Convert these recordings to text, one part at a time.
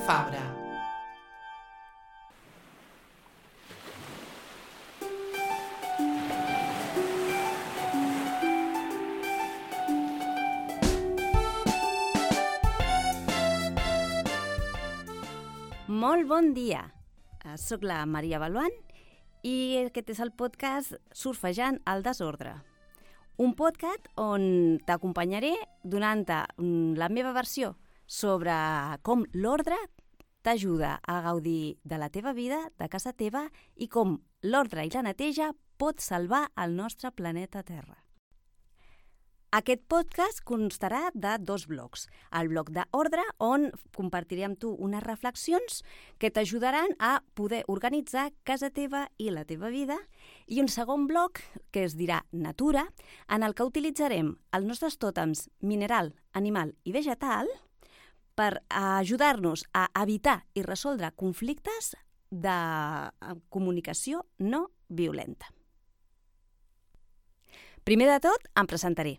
Fabra. Molt bon dia. Soc la Maria Baluant i aquest és el podcast Surfejant el desordre. Un podcast on t'acompanyaré donant-te la meva versió sobre com l'ordre t'ajuda a gaudir de la teva vida, de casa teva, i com l'ordre i la neteja pot salvar el nostre planeta Terra. Aquest podcast constarà de 2 blocs. El bloc d'ordre, on compartiré amb tu unes reflexions que t'ajudaran a poder organitzar casa teva i la teva vida, i un segon bloc, que es dirà natura, en el que utilitzarem els nostres tòtems mineral, animal i vegetal per ajudar-nos a evitar i resoldre conflictes de comunicació no violenta. Primer de tot, em presentaré.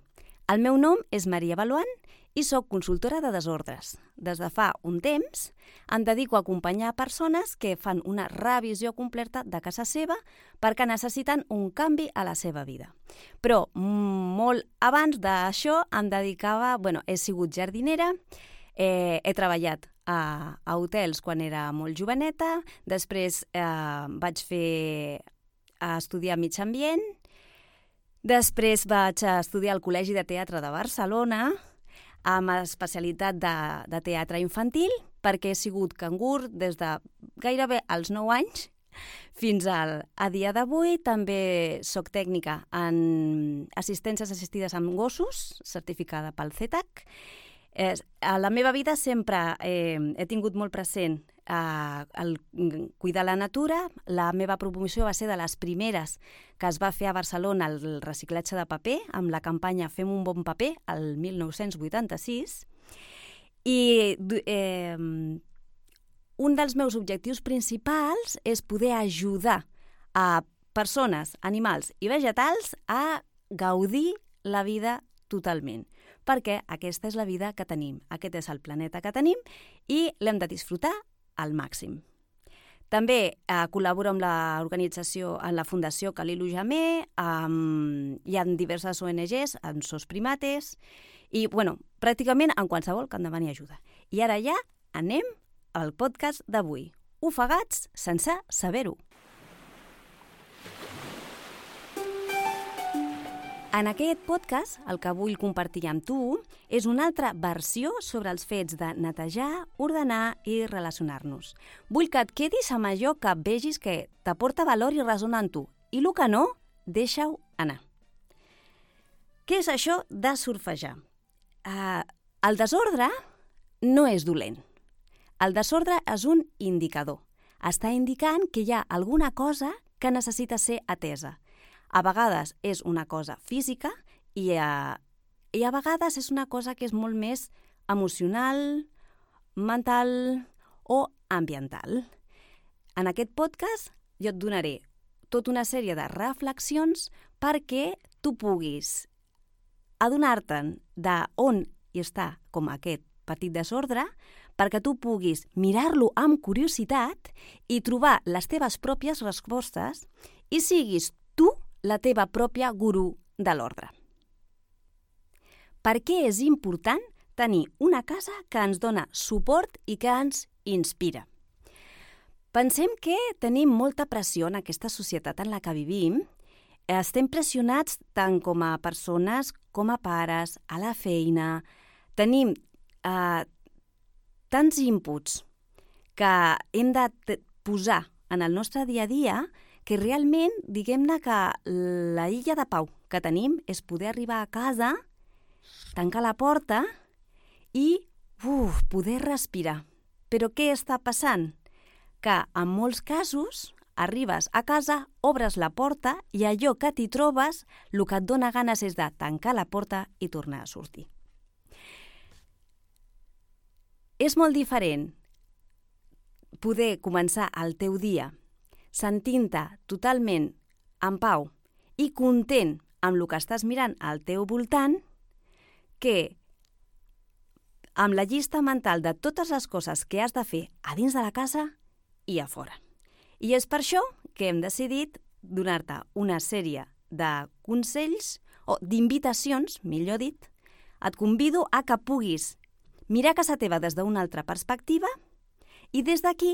El meu nom és Maria Baluant i soc consultora de desordres. Des de fa un temps em dedico a acompanyar persones que fan una revisió completa de casa seva perquè necessiten un canvi a la seva vida. Però molt abans d'això he sigut jardinera, he treballat a hotels quan era molt joveneta, després vaig estudiar mig ambient. Després vaig estudiar al Col·legi de Teatre de Barcelona amb especialitat de teatre infantil perquè he sigut cangur des de gairebé els 9 anys fins a dia d'avui. També soc tècnica en assistències assistides amb gossos, certificada pel CETAC. A la meva vida sempre he tingut molt present el cuidar la natura. La meva promoció va ser de les primeres que es va fer a Barcelona el reciclatge de paper, amb la campanya Fem un bon paper, el 1986. I un dels meus objectius principals és poder ajudar a persones, animals i vegetals a gaudir la vida totalment, perquè aquesta és la vida que tenim, aquest és el planeta que tenim i l'hem de disfrutar al màxim. També col·laboro amb l'organització, en la Fundació Kalilu Jammeh, hi ha diverses ONGs, en SOS Primates, i pràcticament en qualsevol que em demani ajuda. I ara ja anem al podcast d'avui. Ofegats sense saber-ho. En aquest podcast, el que vull compartir amb tu és una altra versió sobre els fets de netejar, ordenar i relacionar-nos. Vull que et quedis amb allò que vegis que t'aporta valor i resona en tu, i el que no, deixa-ho anar. Què és això de surfejar? El desordre no és dolent. El desordre és un indicador. Està indicant que hi ha alguna cosa que necessita ser atesa. A vegades és una cosa física i a vegades és una cosa que és molt més emocional, mental o ambiental. En aquest podcast jo et donaré tota una sèrie de reflexions perquè tu puguis adonar-te'n d'on hi està com aquest petit desordre, perquè tu puguis mirar-lo amb curiositat i trobar les teves pròpies respostes i siguis tu la teva pròpia gurú de l'ordre. Per què és important tenir una casa que ens dona suport i que ens inspira? Pensem que tenim molta pressió en aquesta societat en la que vivim. Estem pressionats tant com a persones com a pares, a la feina. Tenim tants inputs que hem de posar en el nostre dia a dia que realment, diguem-ne que la illa de pau que tenim és poder arribar a casa, tancar la porta i poder respirar. Però què està passant? Que en molts casos arribes a casa, obres la porta i allò que t'hi trobes, el que et dona ganes és de tancar la porta i tornar a sortir. És molt diferent poder començar el teu dia sentint-te totalment en pau i content amb el que estàs mirant al teu voltant, que amb la llista mental de totes les coses que has de fer a dins de la casa i a fora. I és per això que hem decidit donar-te una sèrie de consells o d'invitacions, millor dit. Et convido a que puguis mirar casa teva des d'una altra perspectiva i des d'aquí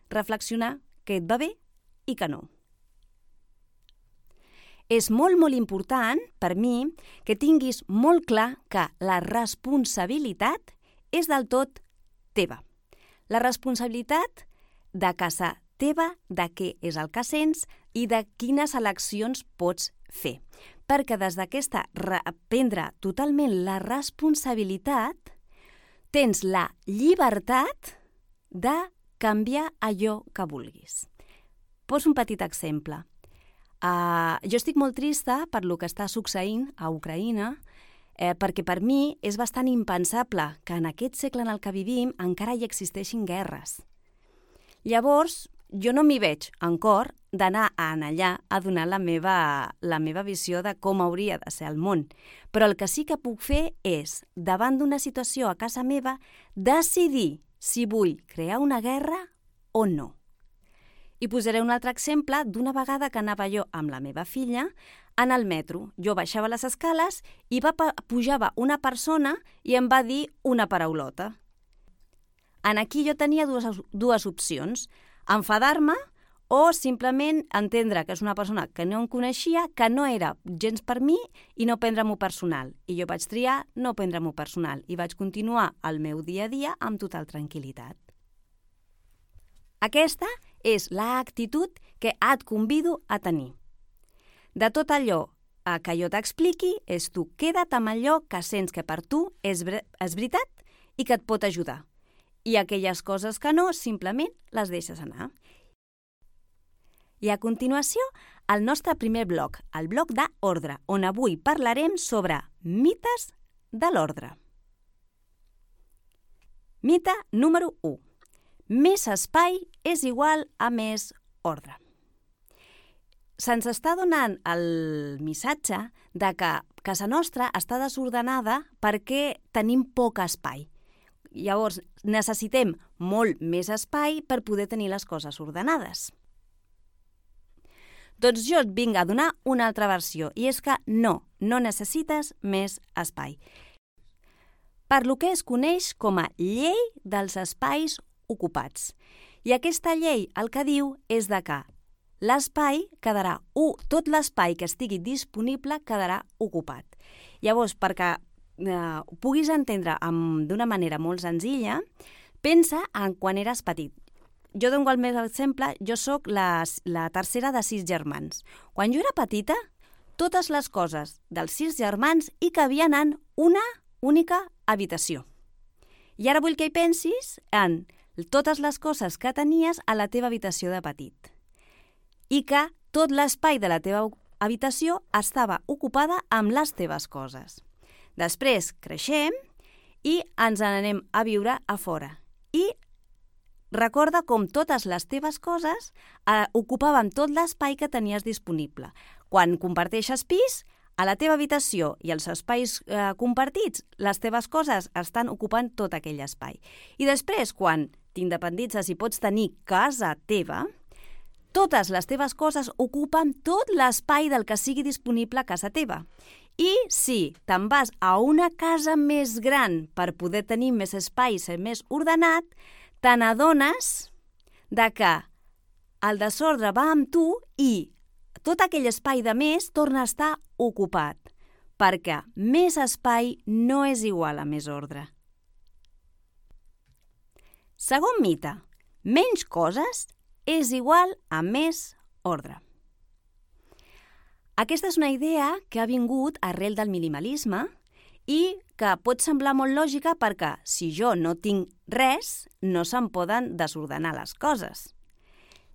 reflexionar què et va bé i què no. És molt, molt important per mi que tinguis molt clar que la responsabilitat és del tot teva. La responsabilitat de casa teva, de què és el que sents i de quines eleccions pots fer. Perquè des d'aquesta prendre totalment la responsabilitat tens la llibertat de canviar allò que vulguis. Poso un petit exemple. Jo estic molt trista per lo que està succeint a Ucraïna, perquè per mi és bastant impensable que en aquest segle en el que vivim encara hi existeixin guerres. Llavors, jo no m'hi veig en cor d'anar allà a donar la meva visió de com hauria de ser el món. Però el que sí que puc fer és, davant d'una situació a casa meva, decidir si vull crear una guerra o no. I posaré un altre exemple d'una vegada que anava jo amb la meva filla en el metro. Jo baixava les escales i pujava una persona i em va dir una paraulota. Aquí jo tenia dues opcions, enfadar-me o simplement entendre que és una persona que no em coneixia, que no era gens per mi i no prendre-m'ho personal. I jo vaig triar no prendre-m'ho personal i vaig continuar el meu dia a dia amb total tranquil·litat. Aquesta és l'actitud que et convido a tenir. De tot allò que jo t'expliqui, és tu queda't amb allò que sents que per tu és veritat i que et pot ajudar. I aquelles coses que no, simplement les deixes anar. I a continuació, el nostre primer bloc, el bloc d'ordre, on avui parlarem sobre mites de l'ordre. Mite número 1. Més espai és igual a més ordre. Se'ns està donant el missatge de que casa nostra està desordenada perquè tenim poc espai. Llavors, necessitem molt més espai per poder tenir les coses ordenades. Doncs jo et vinc a donar una altra versió, i és que no necessites més espai. Per lo que es coneix com a llei dels espais ocupats. I aquesta llei el que diu és de que l'espai quedarà, tot l'espai que estigui disponible quedarà ocupat. Llavors, perquè ho puguis entendre d'una manera molt senzilla, pensa en quan eres petit. Jo dono el meu exemple, jo sóc la tercera de 6 germans. Quan jo era petita, totes les coses dels 6 germans hi cabien en una única habitació. I ara vull que hi pensis en totes les coses que tenies a la teva habitació de petit i que tot l'espai de la teva habitació estava ocupada amb les teves coses. Després creixem i ens n'anem a viure a fora. I recorda com totes les teves coses ocupaven tot l'espai que tenies disponible. Quan comparteixes pis, a la teva habitació i els espais compartits, les teves coses estan ocupant tot aquell espai. I després, quan t'independitzes i pots tenir casa teva, totes les teves coses ocupen tot l'espai del que sigui disponible a casa teva. I si te'n vas a una casa més gran per poder tenir més espai i ser més ordenat, te n'adones que el desordre va amb tu i tot aquell espai de més torna a estar ocupat, perquè més espai no és igual a més ordre. Segon mite, menys coses és igual a més ordre. Aquesta és una idea que ha vingut arrel del minimalisme i que pot semblar molt lògica perquè si jo no tinc res, no se'n poden desordenar les coses.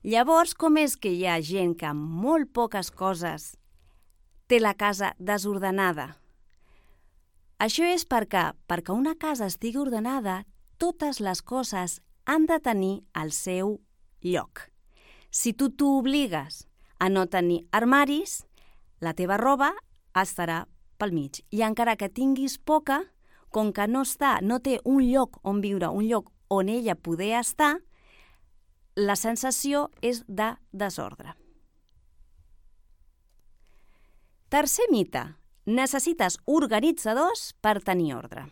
Llavors, com és que hi ha gent que amb molt poques coses té la casa desordenada? Això és perquè una casa estigui ordenada, totes les coses han de tenir el seu lloc. Si tu t'obligues a no tenir armaris, la teva roba estarà pel mig. I encara que tinguis poca, com que no té un lloc on viure, un lloc on ella poder estar, la sensació és de desordre. Tercer mite. Necessites organitzadors per tenir ordre.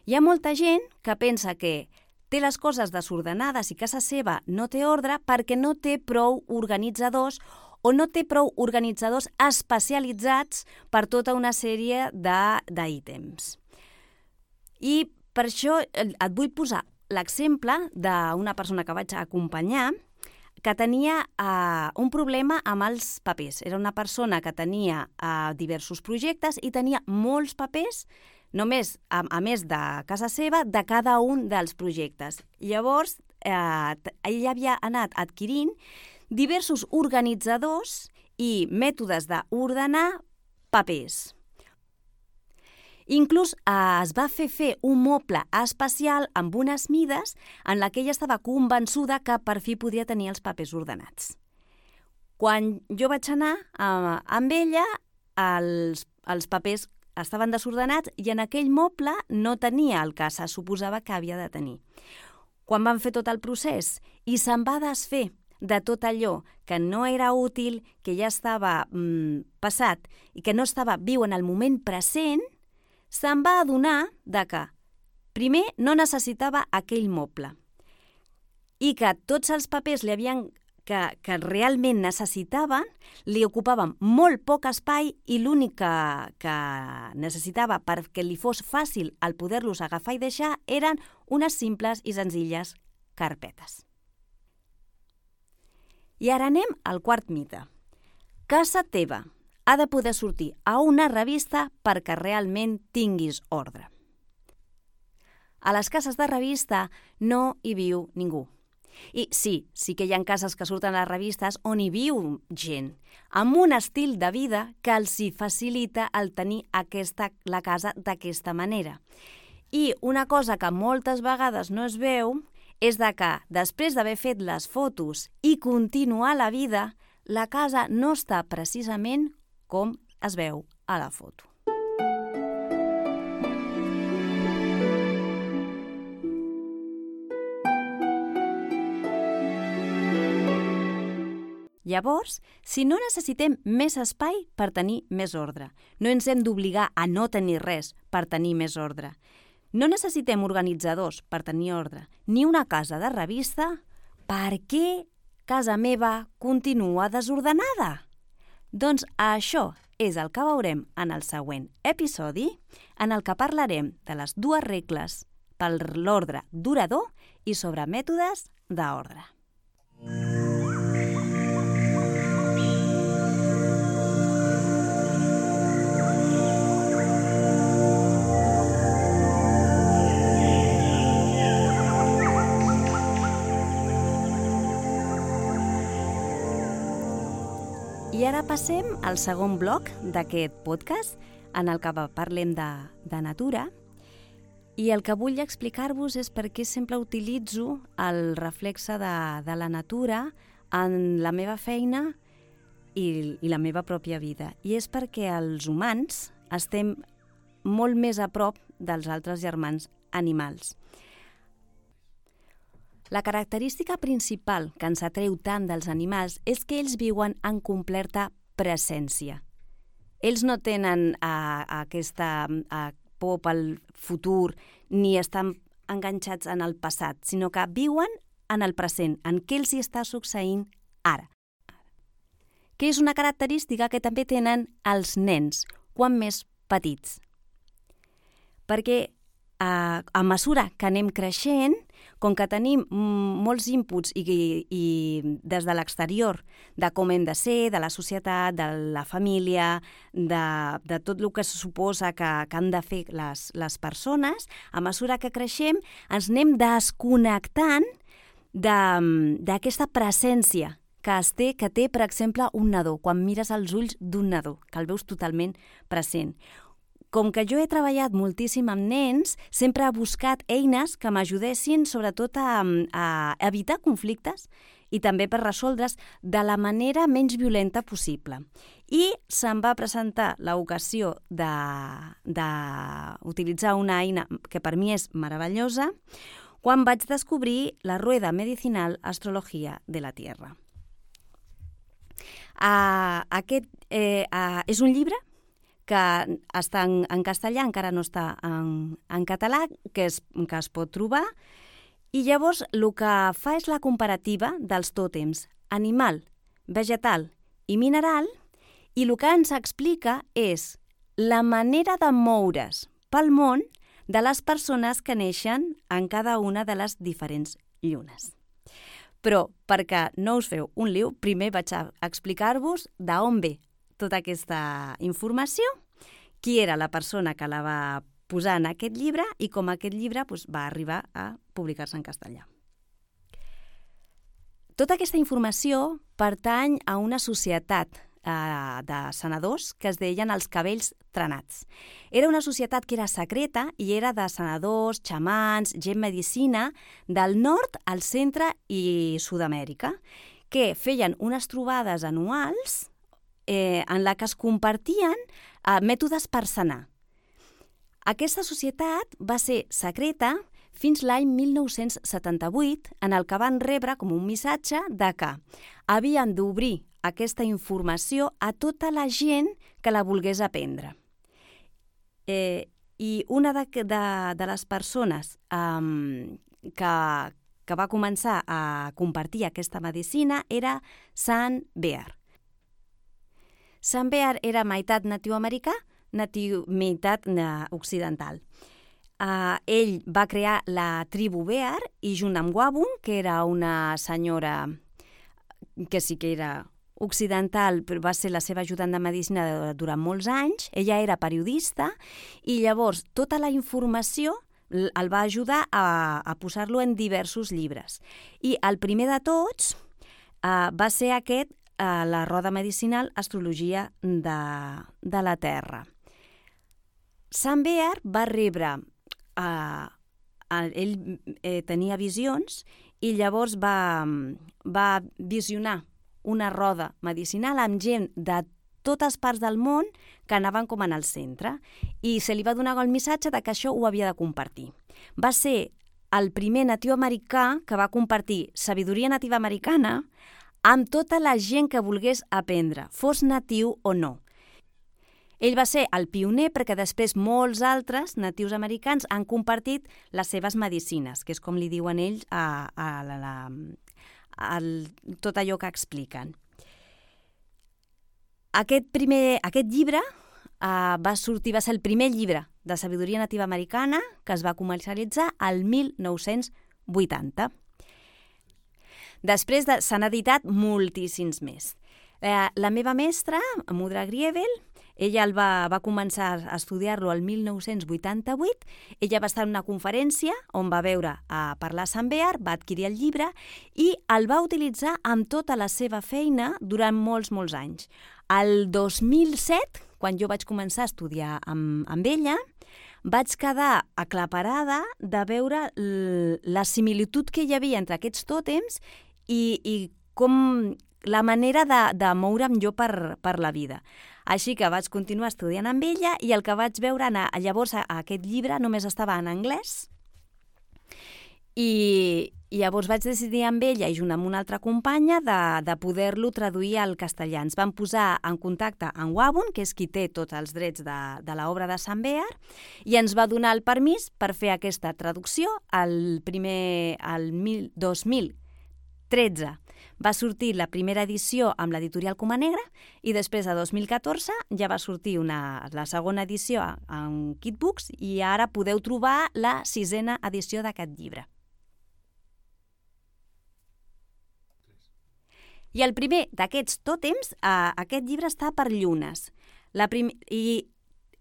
Hi ha molta gent que pensa que té les coses desordenades i casa seva no té ordre perquè no té prou organitzadors o no té prou organitzadors especialitzats per tota una sèrie d'ítems. I per això et vull posar l'exemple d'una persona que vaig acompanyar que tenia un problema amb els papers. Era una persona que tenia diversos projectes i tenia molts papers, només, a més de casa seva, de cada un dels projectes. Llavors, ell havia anat adquirint diversos organitzadors i mètodes d'ordenar papers. Inclús es va fer un moble especial amb unes mides en la que ella estava convençuda que per fi podia tenir els papers ordenats. Quan jo vaig anar amb ella, els papers estaven desordenats i en aquell moble no tenia el que se suposava que havia de tenir. Quan van fer tot el procés i se'n va desfer de tot allò que no era útil, que ja estava passat i que no estava viu en el moment present, se'n va adonar que, primer, no necessitava aquell moble i que tots els papers que realment necessitaven li ocupaven molt poc espai i l'únic que necessitava perquè li fos fàcil el poder-los agafar i deixar eren unes simples i senzilles carpetes. I ara anem al quart mite. Casa teva ha de poder sortir a una revista perquè realment tinguis ordre. A les cases de revista no hi viu ningú. I sí que hi ha cases que surten a les revistes on hi viu gent, amb un estil de vida que els hi facilita el tenir la casa d'aquesta manera. I una cosa que moltes vegades no es veu és que després d'haver fet les fotos i continuar la vida, la casa no està precisament com es veu a la foto. Llavors, si no necessitem més espai per tenir més ordre, no ens hem d'obligar a no tenir res per tenir més ordre, no necessitem organitzadors per tenir ordre, ni una casa de revista, per què casa meva continua desordenada? Doncs això és el que veurem en el següent episodi, en el que parlarem de les 2 regles per l'ordre durador i sobre mètodes d'ordre. I ara passem al segon bloc d'aquest podcast, en el que parlem de natura, i el que vull explicar-vos és per què sempre utilitzo el reflexe de la natura en la meva feina i la meva pròpia vida. I és perquè els humans estem molt més a prop dels altres germans animals. La característica principal que ens atreu tant dels animals és que ells viuen en completa presència. Ells no tenen aquesta por pel futur ni estan enganxats en el passat, sinó que viuen en el present, en què els hi està succeint ara. Que és una característica que també tenen els nens, quan més petits. Perquè a mesura que anem creixent, com que tenim molts inputs i des de l'exterior de com hem de ser, de la societat, de la família, de tot el que se suposa que han de fer les persones, a mesura que creixem ens anem desconnectant d'aquesta presència que té, per exemple, un nadó, quan mires els ulls d'un nadó, que el veus totalment present. Com que jo he treballat moltíssim amb nens, sempre he buscat eines que m'ajudessin sobretot a evitar conflictes i també per resoldre's de la manera menys violenta possible. I se'm va presentar l'ocasió d'utilitzar una eina que per mi és meravellosa quan vaig descobrir la rueda medicinal Astrología de la Tierra. Aquest és un llibre que està en castellà, encara no està en català, que es pot trobar, i llavors el que fa és la comparativa dels tòtems animal, vegetal i mineral, i el que ens explica és la manera de moure's pel món de les persones que neixen en cada una de les diferents llunes. Però, perquè no us feu un lío, primer vaig a explicar-vos d'on ve tota aquesta informació, qui era la persona que la va posar en aquest llibre i com aquest llibre va arribar a publicar-se en castellà. Tota aquesta informació pertany a una societat de senadors que es deien els Cabells Trenats. Era una societat que era secreta i era de senadors, xamans, gent medicina del nord, al centre i Sud-amèrica, que feien unes trobades anuals en la que es compartien mètodes per sanar. Aquesta societat va ser secreta fins l'any 1978, en el que van rebre com un missatge de que havien d'obrir aquesta informació a tota la gent que la volgués aprendre. I una de les persones que va començar a compartir aquesta medicina era Sant Bear. Sant Bear era meitat natiu-americà, meitat occidental. Ell va crear la tribu Bear i junt amb Wabun, que era una senyora que sí que era occidental, però va ser la seva ajudant de medicina durant molts anys, ella era periodista i llavors tota la informació el va ajudar a posar-lo en diversos llibres. I el primer de tots va ser aquest, la roda medicinal Astrologia de la Terra. Sant Bear va rebre, ell tenia visions i llavors va visionar una roda medicinal amb gent de totes parts del món que anaven com en el centre i se li va donar el missatge de que això ho havia de compartir. Va ser el primer natiu-americà que va compartir sabidoria nativa americana amb tota la gent que volgués aprendre, fos natiu o no. Ell va ser el pioner perquè després molts altres natius americans han compartit les seves medicines, que és com li diuen ells tot allò que expliquen. Aquest llibre va ser el primer llibre de sabidoria nativa americana que es va comercialitzar al 1980. Després s'han editat moltíssims més. La meva mestra, Mudra Griebel, ella va començar a estudiar-lo el 1988. Ella va estar en una conferència on va veure parlar Sant Bear, va adquirir el llibre i el va utilitzar amb tota la seva feina durant molts anys. El 2007, quan jo vaig començar a estudiar amb ella, vaig quedar aclaparada de veure la similitud que hi havia entre aquests tòtems i com la manera de moure'm jo per la vida. Així que vaig continuar estudiant amb ella i el que vaig veure llavors aquest llibre només estava en anglès i llavors vaig decidir amb ella i junt amb una altra companya de poder-lo traduir al castellà. Ens vam posar en contacte amb Wabun, que és qui té tots els drets de l'obra de Sant Bear, i ens va donar el permís per fer aquesta traducció. El 2013 va sortir la primera edició amb l'editorial Coma Negra i després, a 2014, ja va sortir la segona edició en Kitbooks i ara podeu trobar la 6a edició d'aquest llibre. I el primer d'aquests tòtems, aquest llibre està per llunes. I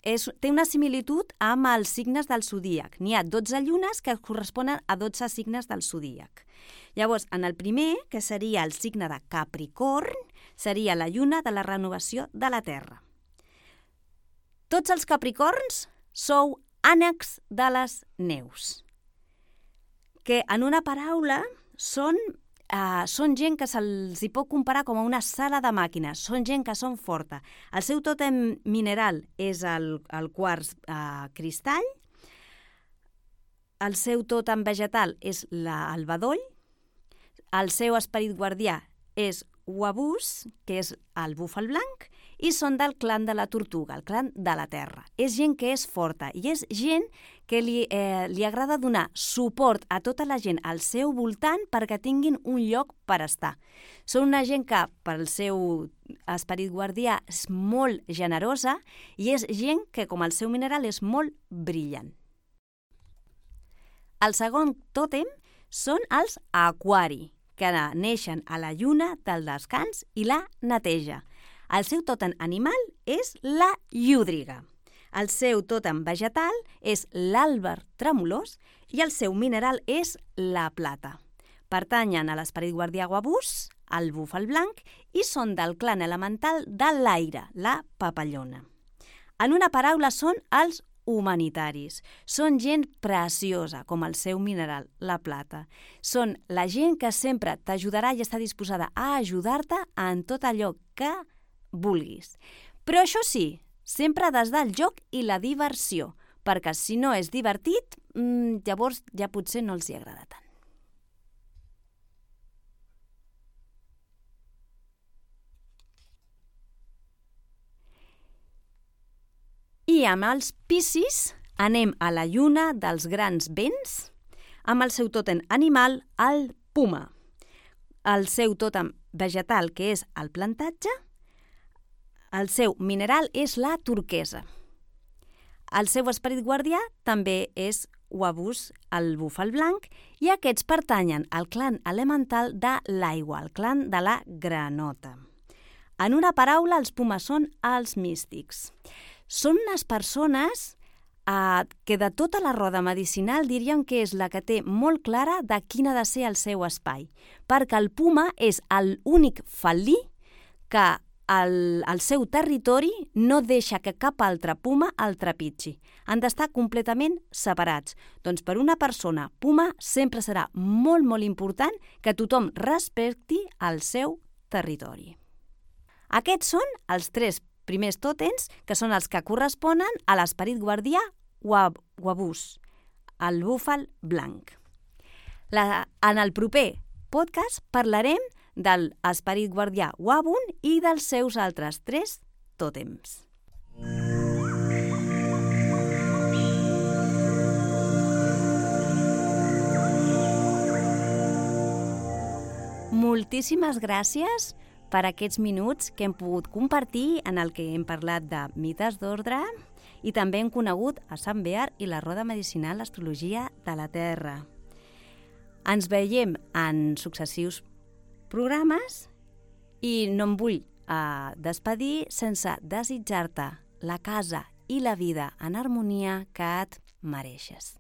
té una similitud amb els signes del zodíac. N'hi ha 12 llunes que corresponen a 12 signes del zodíac. Llavors, en el primer, que seria el signe de Capricorn, seria la lluna de la renovació de la Terra. Tots els capricorns sou ànecs de les neus, que en una paraula són són gent que se'ls hi pot comparar com a una sala de màquines, són gent que són forta. El seu tòtem mineral és el quars cristall, el seu tòtem vegetal és el bedoll, el seu esperit guardià és Wabús, que és el búfal blanc, i són del clan de la tortuga, el clan de la terra. És gent que és forta i és gent que li agrada donar suport a tota la gent al seu voltant perquè tinguin un lloc per estar. Són una gent que, pel seu esperit guardià, és molt generosa i és gent que, com el seu mineral, és molt brillant. El segon tòtem són els aquari, que neixen a la lluna del descans i la neteja. El seu tòtem animal és la llúdriga. El seu tòtem vegetal és l'àlber tremolós i el seu mineral és la plata. Pertanyen a l'esperit guardià Wabús, el búfal blanc, i són del clan elemental de l'aire, la papallona. En una paraula, són els humanitaris. Són gent preciosa, com el seu mineral, la plata. Són la gent que sempre t'ajudarà i està disposada a ajudar-te en tot allò que vulguis. Però això sí, sempre des del joc i la diversió, perquè si no és divertit, llavors ja potser no els hi agrada tant. I amb els Piscis anem a la lluna dels grans vents, amb el seu tòtem animal, el puma. El seu tòtem vegetal, que és el plantatge, el seu mineral és la turquesa. El seu esperit guardià també és Wabús, el búfal blanc, i aquests pertanyen al clan elemental de l'aigua, el clan de la granota. En una paraula, els pumes són els místics. Són unes persones que de tota la roda medicinal diríem que és la que té molt clara de quin ha de ser el seu espai, perquè el puma és l'únic felí que al seu territori no deixa que cap altre puma el trepitgi. Han d'estar completament separats. Doncs per una persona puma sempre serà molt, molt important que tothom respecti el seu territori. Aquests són els 3 primers tòtems, que són els que corresponen a l'esperit guardià Wabús, el búfal blanc. En el proper podcast parlarem de l'esperit guardià Wabun i dels seus altres 3 tòtems. Moltíssimes gràcies per aquests minuts que hem pogut compartir en el que hem parlat de mites d'ordre i també hem conegut a Sant Bear i la roda medicinal Astrologia de la Terra. Ens veiem en successius programes i no em vull despedir sense desitjar-te la casa i la vida en harmonia que et mereixes.